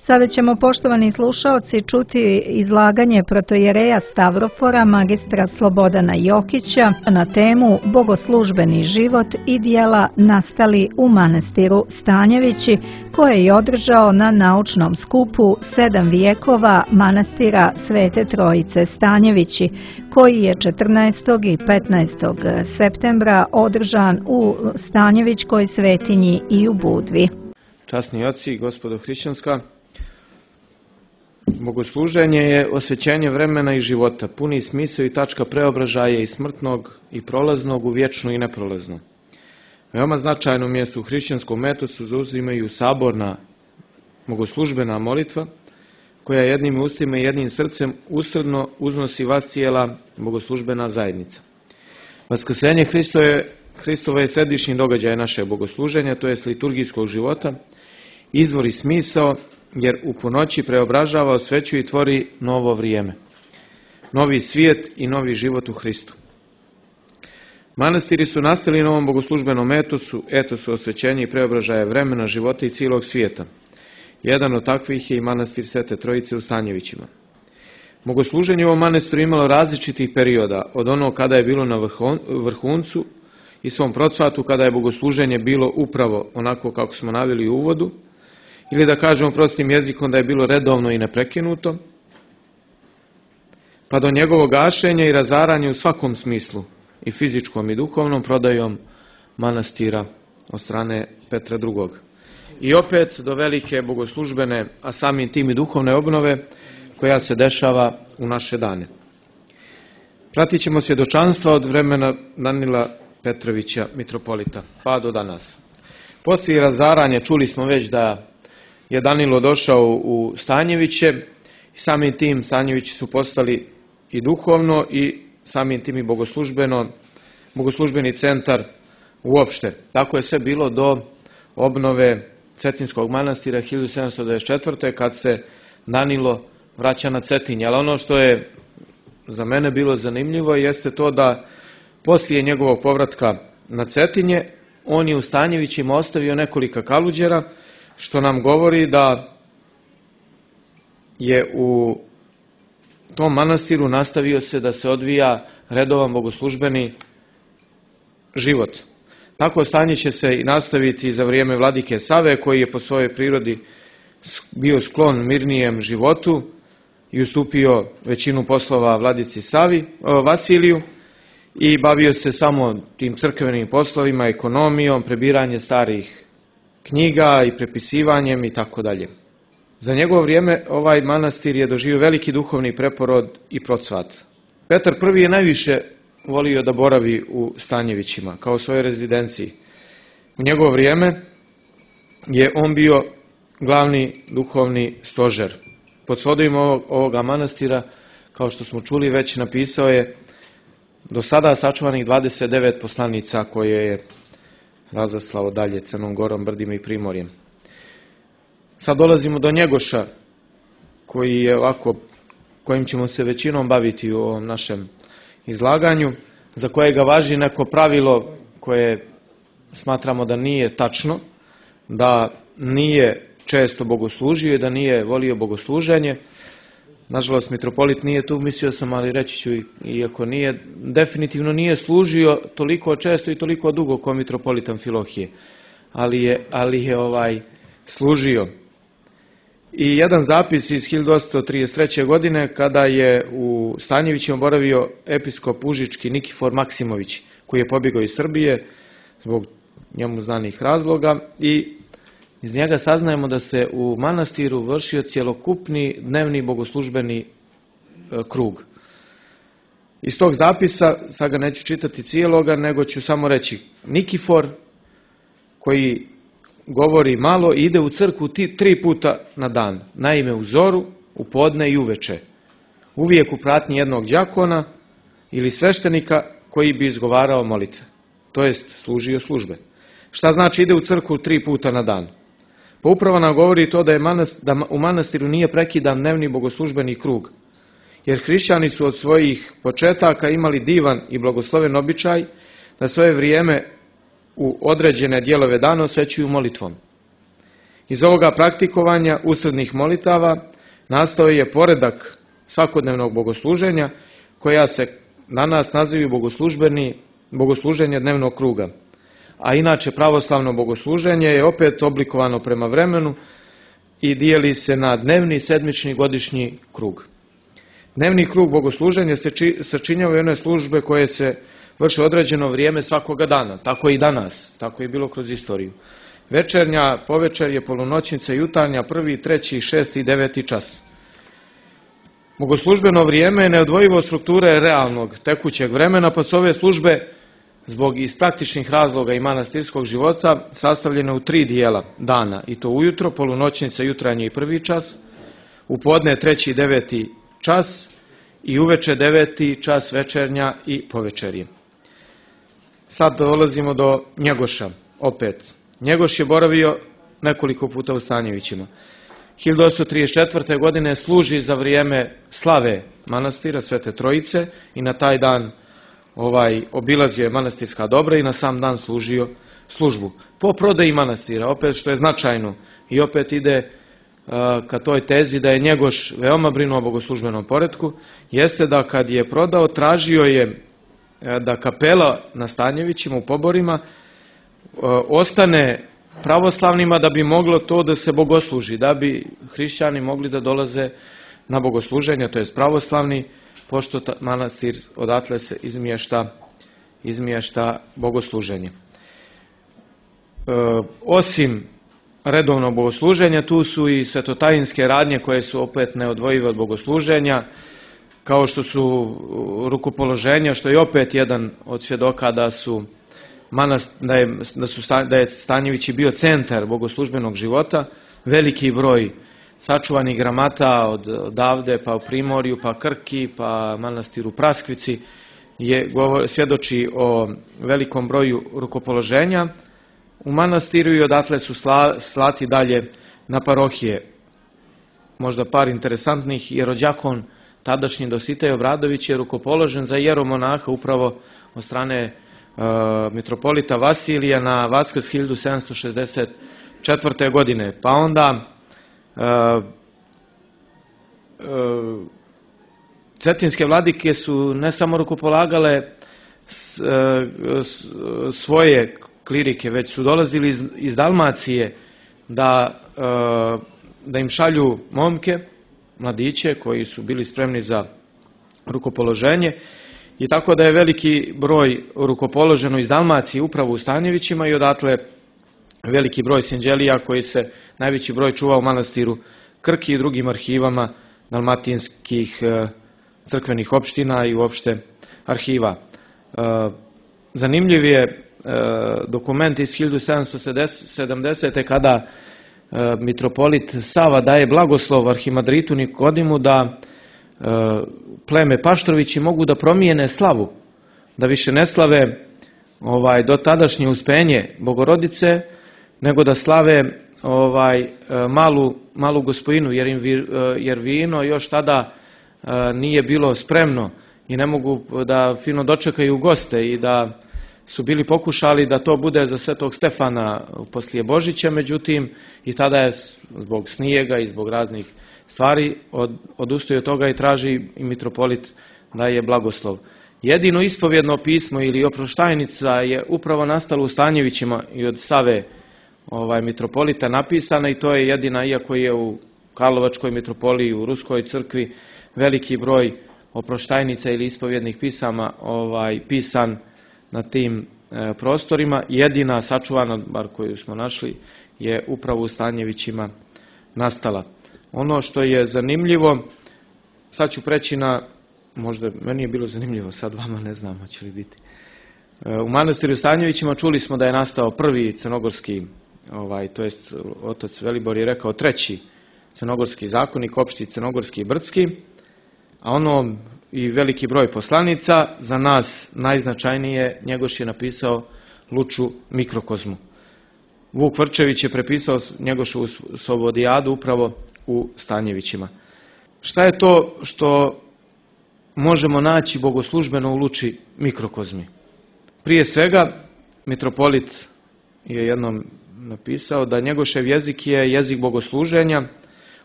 Sada ćemo, poštovani slušaoci, čuti izlaganje protoijereja Stavrofora, magistra Slobodana Jokića, na temu Bogoslužbeni život i djela nastali u manastiru Stanjevići, koje je održao na naučnom skupu 7 vijekova manastira Svete Trojice Stanjevići, koji je 14. i 15. septembra održan u Stanjevićkoj svetinji i u Budvi. Časni oci i gospodo hrišćanska, bogosluženje je osvećenje vremena i života, puni smisao i tačka preobražaja iz smrtnog i prolaznog u vječno i neprolazno. Veoma značajno mjesto u hrišćanskom etosu zauzimaju saborna bogoslužbena molitva, koja jednim ustima i jednim srcem usrdno uznosi vas cijela bogoslužbena zajednica. Vaskrsenje Hristovo je središnji događaj našeg bogosluženja, to je liturgijskog života, izvor i smisao, jer u ponoći preobražava, osvećuje i tvori novo vrijeme, novi svijet i novi život u Hristu. Manastiri su nastali na ovom bogoslužbenom etosu osvećenja i preobražaja vremena, života i cijelog svijeta. Jedan od takvih je i manastir Svete Trojice u Stanjevićima. Bogosluženje u ovom manastiru imalo različitih perioda, od onog kada je bilo na vrhuncu i svom procvatu, kada je bogosluženje bilo upravo onako kako smo naveli u uvodu, ili da kažemo prostim jezikom da je bilo redovno i neprekinuto, pa do njegovog gašenja i razaranja u svakom smislu, i fizičkom i duhovnom, prodajom manastira od strane Petra II. I opet do velike bogoslužbene, a samim tim i duhovne obnove, koja se dešava u naše dane. Pratit ćemo svjedočanstva od vremena Danila Petrovića, mitropolita, pa do danas. Poslije razaranja čuli smo već da je Danilo došao u Stanjeviće i samim tim Stanjevići su postali i duhovno i samim tim i bogoslužbeni centar uopšte. Tako je sve bilo do obnove Cetinskog manastira 1794. kad se Danilo vraća na Cetinje. Ali ono što je za mene bilo zanimljivo jeste to da poslije njegovog povratka na Cetinje on je u Stanjevićima ostavio nekoliko kaluđera, što nam govori da je u tom manastiru nastavio se da se odvija redovan bogoslužbeni život. Tako stanje će se i nastaviti za vrijeme vladike Save, koji je po svojoj prirodi bio sklon mirnijem životu i ustupio većinu poslova vladici Vasiliju i bavio se samo tim crkvenim poslovima, ekonomijom, prebiranje starih knjiga i prepisivanjem i tako dalje. Za njegovo vrijeme ovaj manastir je doživio veliki duhovni preporod i procvat. Petar I je najviše volio da boravi u Stanjevićima kao svojoj rezidenciji. U njegovo vrijeme je on bio glavni duhovni stožer. Pod svodovima ovoga manastira, kao što smo čuli već, napisao je do sada sačuvanih 29 poslanica koje je razaslao dalje Crnom Gorom, Brdima i Primorjem. Sad dolazimo do Njegoša, kojim ćemo se većinom baviti u ovom našem izlaganju, za kojega važi neko pravilo koje smatramo da nije tačno, da nije često bogoslužio i da nije volio bogosluženje. Nažalost, mitropolit nije tu, mislio sam, ali reći ću, iako nije, definitivno nije služio toliko često i toliko dugo kao mitropolit Amfilohije, ali je služio. I jedan zapis iz 1833. godine, kada je u Stanjevićima boravio episkop užički Nikifor Maksimović, koji je pobjegao iz Srbije zbog njemu znanih razloga, i iz njega saznajemo da se u manastiru vršio cjelokupni dnevni bogoslužbeni krug. Iz tog zapisa, sad ga neću čitati cijeloga, nego ću samo reći: Nikifor, koji govori malo, ide u crkvu 3 puta na dan, naime u zoru, u podne i uveče, uvijek u pratnji jednog đakona ili sveštenika koji bi izgovarao molitve, to jest služio službe. Šta znači ide u crkvu 3 puta na dan? Pa upravo nam govori to da u manastiru nije prekidan dnevni bogoslužbeni krug, jer hrišćani su od svojih početaka imali divan i blagosloven običaj da svoje vrijeme u određene dijelove dana osvećuju molitvom. Iz ovoga praktikovanja usrednih molitava nastao je poredak svakodnevnog bogosluženja koja se danas naziva bogosluženje dnevnog kruga. A inače pravoslavno bogosluženje je opet oblikovano prema vremenu i dijeli se na dnevni, sedmični, godišnji krug. Dnevni krug bogosluženja se sačinjava i one službe koje se vrše određeno vrijeme svakoga dana. Tako i danas, tako je bilo kroz istoriju. Večernja, povečerje, polunoćnica, jutarnja, 1., 3., 6. i 9. čas. Bogoslužbeno vrijeme je neodvojivo strukture realnog tekućeg vremena, pa su ove službe zbog iz praktičnih razloga i manastirskog života sastavljene u 3 dijela dana, i to ujutro, polunoćnica, jutarnji i 1. čas, u podne 3. i 9. čas i uveče 9. čas, večernja i povečerje. Sad dolazimo do Njegoša, opet. Njegoš je boravio nekoliko puta u Stanjevićima. 1834. godine služi za vrijeme slave manastira Svete Trojice i na taj dan obilazio je manastirska dobra i na sam dan služio službu. Po prodaji manastira, opet što je značajno i opet ide ka toj tezi da je Njegoš veoma brinuo o bogoslužbenom poretku, jeste da kad je prodao, tražio je da kapela na Stanjevićima u Poborima ostane pravoslavnima da bi moglo to da se bogosluži, da bi hrišćani mogli da dolaze na bogosluženje, to je pravoslavni, pošto manastir odatle se izmješta bogosluženje. Osim redovnog bogosluženja, tu su i svetotajinske radnje koje su opet neodvojive od bogosluženja, kao što su rukopoloženja, što je opet jedan od svjedoka da je Stanjevići bio centar bogoslužbenog života. Veliki broj sačuvanih gramata odavde, pa u Primorju, pa Krki, pa manastiru Praskvici, svjedoči o velikom broju rukopoloženja u manastiru i odatle su slati dalje na parohije. Možda par interesantnih, jerođakon tadašnji Dositej Obradović je rukopoložen za jeromonaha upravo od strane mitropolita Vasilija na Vaskrs 1764. godine. Pa onda cetinske vladike su ne samo rukopolagale svoje klirike, već su dolazili iz Dalmacije da im šalju momke, mladiće koji su bili spremni za rukopoloženje, i tako da je veliki broj rukopoloženo iz Dalmacije upravo u Stanjevićima i odatle veliki broj sinđelija koji se najveći broj čuva u manastiru Krki i drugim arhivama dalmatinskih crkvenih opština i uopšte arhiva. Zanimljiv je dokument iz 1770. kada mitropolit Sava daje blagoslov arhimadritu Nikodimu da pleme Paštrovići mogu da promijene slavu, da više ne slave do tadašnje uspenje Bogorodice, nego da slave malu gospojinu, jer vino još tada nije bilo spremno i ne mogu da fino dočekaju goste, i da su bili pokušali da to bude za Svetog Stefana poslije Božića, međutim i tada je zbog snijega i zbog raznih stvari odustaju od toga i traži i mitropolit da je blagoslov. Jedino ispovjedno pismo ili oproštajnica je upravo nastalo u Stanjevićima i od Save mitropolita napisana, i to je jedina, iako je u Karlovačkoj mitropoliji, u Ruskoj crkvi veliki broj oproštajnica ili ispovjednih pisama pisan na tim prostorima, jedina sačuvana, bar koju smo našli, je upravo u Stanjevićima nastala. Ono što je zanimljivo, sad ću preći na, možda meni je bilo zanimljivo, sad vama ne znam hoće li biti. U manastiru Stanjevićima čuli smo da je nastao prvi crnogorski, to jest otac Velibor je rekao 3. crnogorski zakonik, opšti crnogorski i brdski, a ono i veliki broj poslanica, za nas najznačajnije Njegoš je napisao Luču mikrokozmu. Vuk Vrčević je prepisao Njegošovu Sovodijadu upravo u Stanjevićima. Šta je to što možemo naći bogoslužbeno u Luči mikrokozmi? Prije svega, mitropolit je jednom napisao da Njegošev jezik je jezik bogosluženja,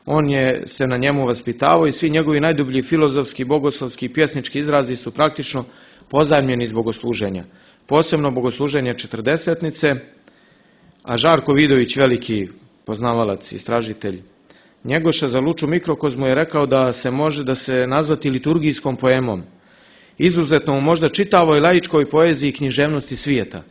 on je se na njemu vaspitavao i svi njegovi najdublji filozofski, bogoslovski i pjesnički izrazi su praktično pozajmljeni iz bogosluženja. Posebno bogosluženje četrdesetnice, a Žarko Vidović, veliki poznavalac, istražitelj Njegoša, za Luču mikrokozmu je rekao da se može da se nazvati liturgijskom poemom. Izuzetno u možda čitavoj laičkoj poeziji i književnosti svijeta.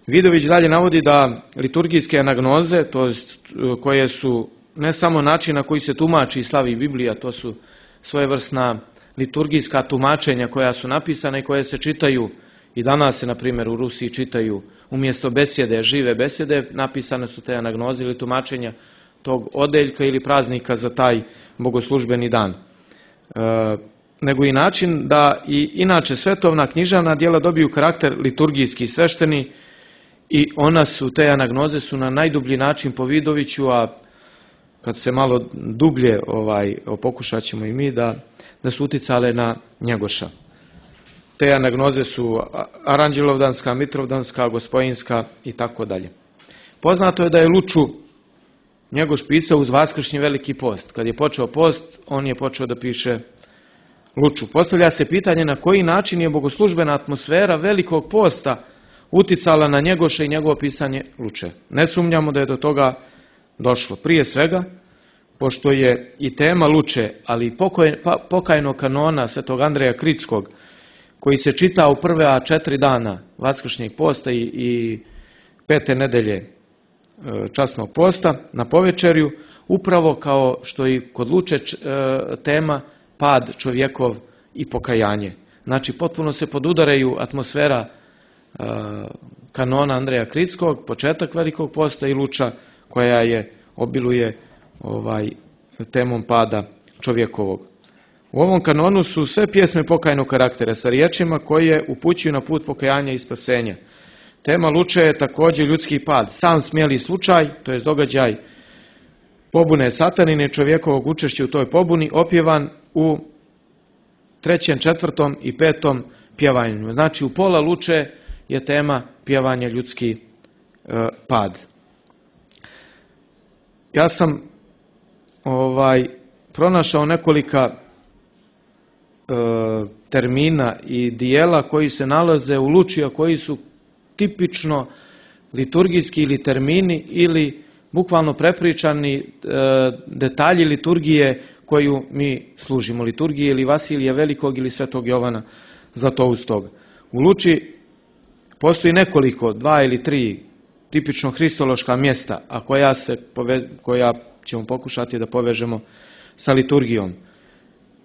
Vidović dalje navodi da liturgijske anagnoze, to jest koje su ne samo način na koji se tumači i slavi Biblija, to su svojevrsna liturgijska tumačenja koja su napisana i koje se čitaju i danas se, na primjer, u Rusiji čitaju umjesto besjede, žive besjede, napisane su te anagnoze ili tumačenja tog odeljka ili praznika za taj bogoslužbeni dan. Nego i način da i inače svetovna književna djela dobiju karakter liturgijski i svešteni i te anagnoze su na najdublji način po Vidoviću, a kad se malo dublje pokušat ćemo i mi da su uticale na Njegoša. Te anagnoze su Aranđelovdanska, Mitrovdanska, Gospojinska i tako dalje. Poznato je da je Luču Njegoš pisao uz Vaskršnji veliki post. Kad je počeo post, on je počeo da piše Luču. Postavlja se pitanje na koji način je bogoslužbena atmosfera velikog posta uticala na Njegoša i njegovo pisanje Luče. Ne sumnjamo da je do toga došlo. Prije svega, pošto je i tema Luče, ali i pokajnog kanona svetog Andreja Kritskog, koji se čita u prve 4 dana Vaskršnjeg posta i 5. nedelje časnog posta na povečerju, upravo kao što i kod Luče tema pad čovjekov i pokajanje. Znači, potpuno se podudaraju atmosfera kanona Andreja Kritskog, početak velikog posta i Luča koja obiluje temom pada čovjekovog. U ovom kanonu su sve pjesme pokajnog karaktera sa riječima koje upućuju na put pokajanja i spasenja. Tema Luče je također ljudski pad, sam smjeli slučaj, to je događaj pobune satanine, čovjekovog učešća u toj pobuni, opjevan u 3., 4. i 5. pjevanju. Znači, u pola Luče je tema pjevanja ljudski pad. Ja sam pronašao nekolika termina i dijela koji se nalaze u Luči, a koji su tipično liturgijski ili termini ili bukvalno prepričani detalji liturgije koju mi služimo. Liturgije ili Vasilija Velikog ili Svetog Jovana Zlatoustog. U Luči postoji nekoliko, 2 ili 3 tipično hristološka mjesta, a koja ćemo pokušati da povežemo sa liturgijom.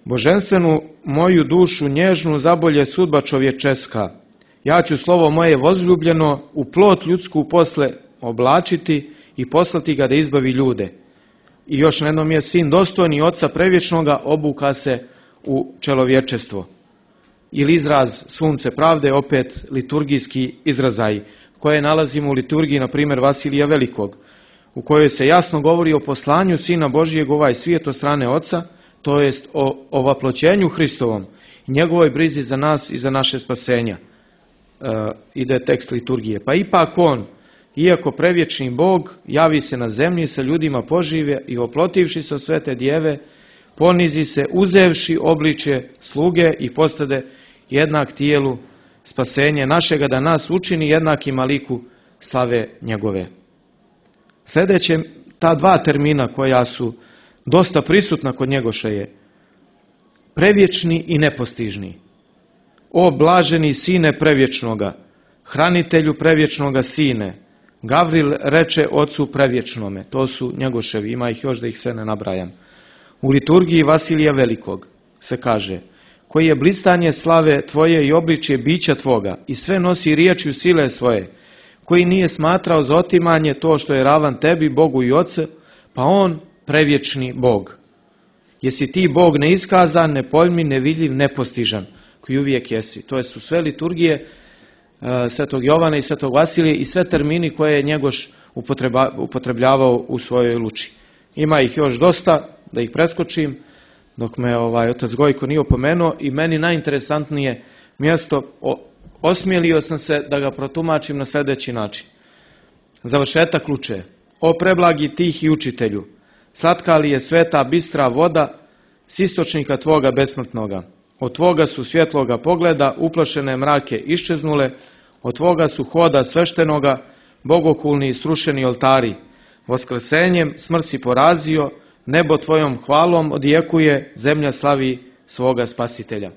Boženstvenu moju dušu nježnu zabolje sudba čovječeska. Ja ću slovo moje vozljubljeno u plot ljudsku posle oblačiti i poslati ga da izbavi ljude. I još na jednom je sin dostojni Oca prevječnoga obuka se u čelovječestvo. Ili izraz sunce pravde, opet liturgijski izrazaj, koje nalazimo u liturgiji, na primjer, Vasilija Velikog, u kojoj se jasno govori o poslanju Sina Božijeg u ovaj svijet od strane Oca, to jest o ovaploćenju Hristovom i njegovoj brizi za nas i za naše spasenja. Ide tekst liturgije. Pa ipak on, iako prevječni Bog, javi se na zemlji, sa ljudima požive i oplotivši se od svete djeve, ponizi se, uzevši obličje sluge i postade jednak tijelu spasenje našega, da nas učini jednakima liku slave njegove. Sljedeće, ta 2 termina koja su dosta prisutna kod Njegoša je prevječni i nepostižni. O blaženi sine prevječnoga, hranitelju prevječnoga sine, Gavril reče Ocu prevječnome. To su Njegoševi, ima ih još da ih sve ne nabrajam. U liturgiji Vasilija Velikog se kaže: koji je blistanje slave tvoje i obličje bića tvoga i sve nosi riječju sile svoje, koji nije smatrao za otimanje to što je ravan tebi, Bogu i Ocu, pa on prevječni Bog. Jesi ti Bog neiskazan, nepojmljiv, nevidljiv, nepostižan, koji uvijek jesi. To su sve liturgije Svetog Jovana i Svetog Vasilija i sve termini koje je Njegoš upotrebljavao u svojoj Luči. Ima ih još dosta, da ih preskočim, dok me otac Gojko nije opomenuo, i meni najinteresantnije mjesto, osmijelio sam se da ga protumačim na sljedeći način. Završetak luče. O preblagi tihi učitelju, slatka li je sveta bistra voda s istočnika tvoga besmrtnoga? Od tvoga su svjetloga pogleda uplašene mrake iščeznule, od tvoga su hoda sveštenoga bogokulni i srušeni oltari. Vaskrsenjem smrt si porazio, nebo tvojom hvalom odjekuje, zemlja slavi svoga spasitelja.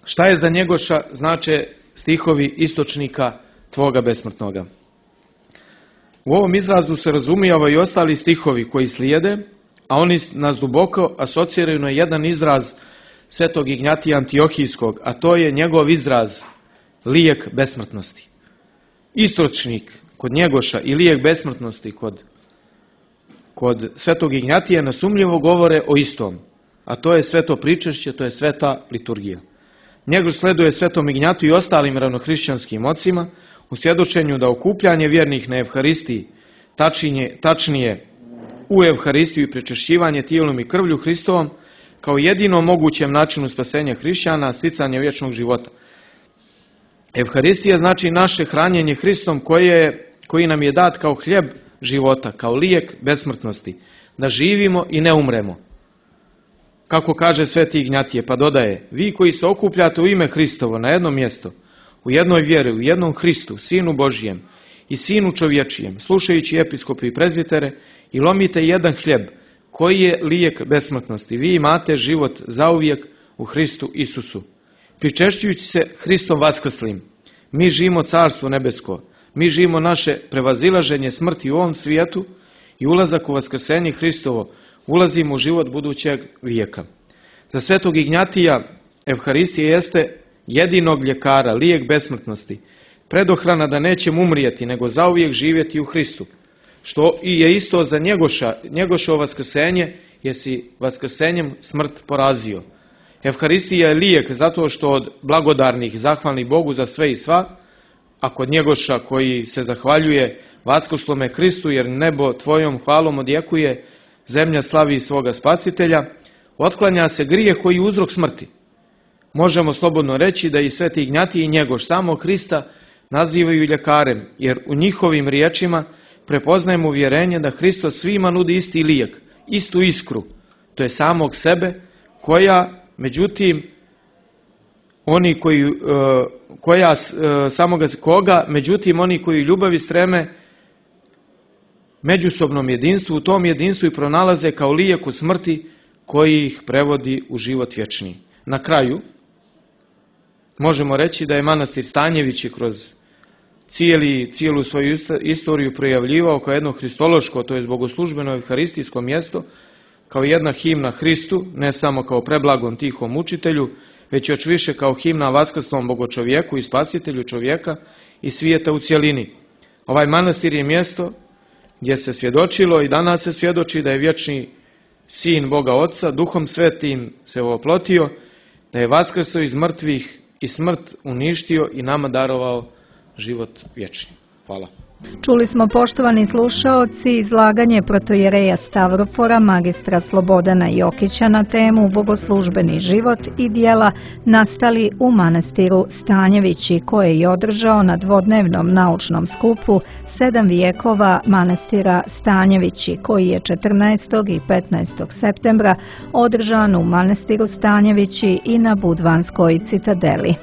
Šta je za Njegoša znače stihovi istočnika tvoga besmrtnoga? U ovom izrazu se razumijeva i ostali stihovi koji slijede, a oni nas duboko asociraju na jedan izraz svetog Ignjatija Antiohijskog, a to je njegov izraz lijek besmrtnosti. Istočnik kod Njegoša i lijek besmrtnosti kod svetog Ignjatija nesumnjivo govore o istom, a to je sveto pričešće, to je sveta liturgija. Njegoš sleduje svetom Ignjatu i ostalim ravnohrišćanskim ocima u svjedočenju da okupljanje vjernih na Evharistiji, tačnije u Evharistiju i prečešćivanje tijelom i krvlju Hristovom, kao jedino mogućem načinu spasenja hrišćana, sticanje vječnog života. Evharistija znači naše hranjenje Hristom koji nam je dat kao hljeb života, kao lijek besmrtnosti, da živimo i ne umremo. Kako kaže sveti Ignjatije, pa dodaje, vi koji se okupljate u ime Hristovo na jedno mjesto, u jednoj vjeri, u jednom Hristu, Sinu Božijem i Sinu čovječijem, slušajući episkope i prezbitere, i lomite jedan hljeb, koji je lijek besmrtnosti. Vi imate život zauvijek u Hristu Isusu. Pričešćujući se Hristom vaskrslim, mi živimo carstvo nebesko, mi živimo naše prevazilaženje smrti u ovom svijetu i ulazak u vaskrsenje Hristovo, ulazimo u život budućeg vijeka. Za svetog Ignjatija Evharistija jeste jedinog ljekara, lijek besmrtnosti, predohrana da nećemo umrijeti, nego zauvijek živjeti u Hristu. Što i je isto za Njegošovo vaskrsenje, jer si vaskrsenjem smrt porazio. Evharistija je lijek zato što od blagodarnih, zahvalnih Bogu za sve i sva, a kod Njegoša koji se zahvaljuje vaskrslome Hristu, jer nebo tvojom hvalom odjekuje, zemlja slavi svoga spasitelja, otklanja se grijeh koji je uzrok smrti. Možemo slobodno reći da i sveti Ignjatij i Njegoš samog Hrista nazivaju ljekarem, jer u njihovim riječima prepoznajemo uvjerenje da Hristos svima nudi isti lijek, istu iskru, to je samog sebe, međutim oni koji ljubavi streme međusobnom jedinstvu, u tom jedinstvu i pronalaze kao lijek u smrti koji ih prevodi u život vječni. Na kraju možemo reći da je manastir Stanjevići kroz cijelu svoju istoriju projavljivao kao jedno hristološko, to je bogoslužbeno evharistijsko mjesto, kao jedna himna Hristu, ne samo kao preblagom tihom učitelju, već još više kao himna vaskrslom bogočovjeku i spasitelju čovjeka i svijeta u cjelini. Ovaj manastir je mjesto gdje se svjedočilo i danas se svjedoči da je vječni Sin Boga Oca, Duhom Svetim se oplotio, da je vaskrsao iz mrtvih i smrt uništio i nama darovao život vječni. Hvala. Čuli smo, poštovani slušaoci, izlaganje protojereja Stavrofora, magistra Slobodana Jokića na temu Bogoslužbeni život i djela nastali u manastiru Stanjevići, koje je održao na dvodnevnom naučnom skupu 7 vijekova manastira Stanjevići, koji je 14. i 15. septembra održan u manastiru Stanjevići i na Budvanskoj citadeli.